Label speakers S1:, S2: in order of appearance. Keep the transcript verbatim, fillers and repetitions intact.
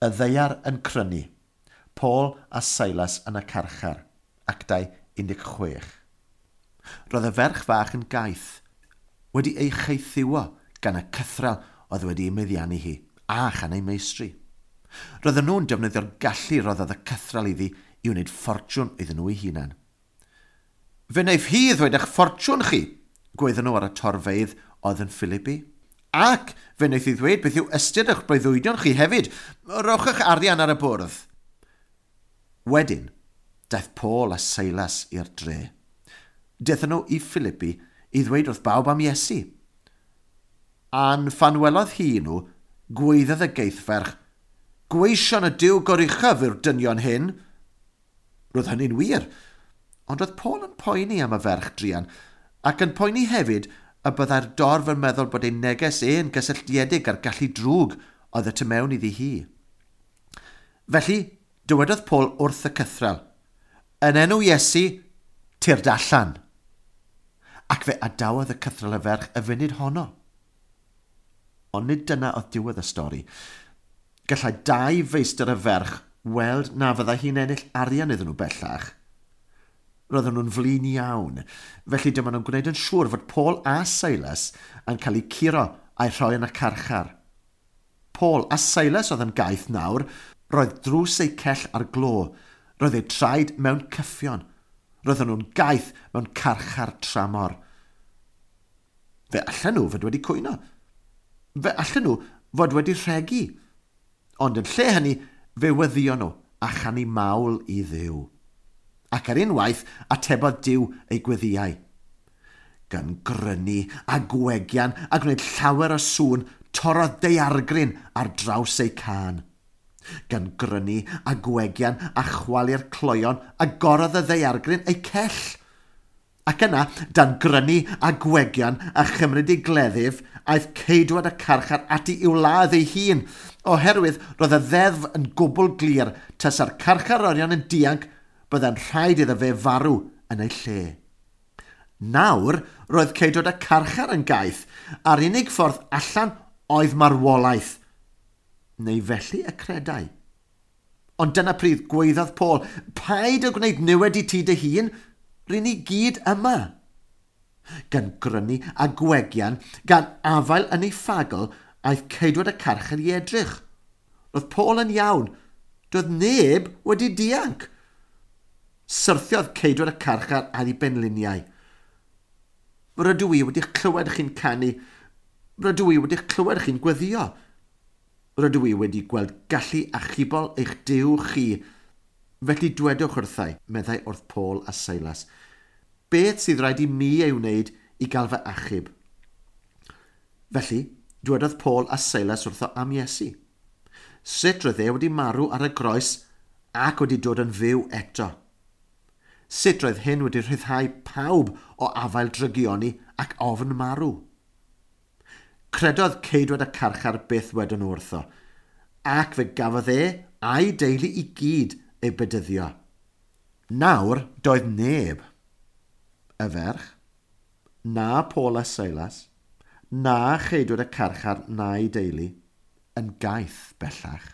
S1: Y ddaear yn crynu. Paul a Silas yn y carchar. Actau un deg chwech. Roedd y ferch fach yn gaeth, wedi ei chaethiwo gan y cythral oedd wedi ei meddiannu hi, a chan ei meistri. Roedden nhw'n defnyddio'r gallu roddodd y cythral iddi i wneud ffortiwn iddyn nhw eu hunan. Fe wnaeth hi ddweud eich ffortiwn chi, gweithio nhw ar y torfeydd oedd yn Philippi. Ac fe wnaeth hi ddweud beth yw ystyr eich breuddwydion chi hefyd. Rhowch eich arian ar y bwrdd. Wedyn, daeth Paul a Silas i'r dre. Daethon nhw i Philippi i ddweud wrth bawb am Iesu. A'n phan welodd hi nhw, gweiddodd y geithferch, gweision y Duw goruchaf yw'r dynion hyn. Roedd hynny'n wir, ond roedd Paul yn poeni am y ferch druan, ac yn poeni hefyd y byddai'r dorf yn meddwl bod ei neges e'n gysylltiedig â'r gallu drwg oedd y tu mewn iddi hi. Felly, dywedodd Paul wrth y cythral, yn enw Iesu, tyrd allan. Ac fe adawodd y cythral y ferch y funud honno. Ond nid dyna oedd diwedd y stori. Gallai dau feistr y ferch weld na fyddai hi'n ennill arian iddyn nhw bellach. Roedden nhw'n flin iawn, felly dyma nhw'n gwneud yn siŵr fod Paul a Silas yn cael eu curo a'i rhoi yn y carchar. Paul a Silas oedd yn gaeth nawr, roedd drws eu cell ar glo, roedd eu traed mewn cyffion. Roedden nhw'n gaeth mewn carchar tramor. Fe allan nhw fod wedi cwyno. Fe allan nhw fod wedi rhegi. Ond yn lle hynny, fe weddio nhw a chanu mawl i Dduw. Ac ar unwaith, atebodd Duw ei gweddiau. Gan grynu a gwegian a gwneud llawer o sŵn, torrodd daeargryn ar draws eu cân. Gan grynu a gwegian a chwalu'r cloion, agorodd y ddaeargryn ei cell. Ac yna, dan grynu a gwegian a chymryd ei gleddyf, aeth ceidwad y carchar ati i'w ladd ei hun, oherwydd roedd y ddeddf yn gwbl glir tasa'r carcharorion yn dianc, byddai'n rhaid iddo fe farw yn ei lle. Nawr, roedd ceidwad y carchar yn gaeth, a'r unig ffordd allan oedd marwolaeth. Neu felly y credai. Ond dyna pryd gweiddodd Paul, paid â gwneud niwed i ti dy hun, rŷn ni gyd yma. Gan grynu a gwegian, gan afael yn ei ffagl, aeth ceidwad y carchar i edrych. Roedd Paul yn iawn, doedd neb wedi dianc. Syrthiodd ceidwad y carchar ar ei benliniau. Rydw i wedi'ch clywed chi'n canu. Rydw i wedi'ch clywed chi'n gweddio. Rydw i wedi gweld gallu achubol eich Duw chi. Felly dwedwch wrthai, meddai wrth Paul a Silas, beth sydd rhaid i mi ei wneud i gael fy achub? Felly, dwedodd Paul a Silas wrtho am Iesu. Sut roedd e wedi marw ar y groes ac wedi dod yn fyw eto? Sut roedd hyn wedi rhyddhau pawb o afael drygioni ac ofn marw? Credodd ceidwad y carchar byth wedyn nhw wrtho, ac fe gafodd e a'i deulu i gyd ei bedyddio. Nawr doedd neb, y ferch, na Paul a Silas, na cheidwad y carchar na'i deulu, yn gaeth bellach.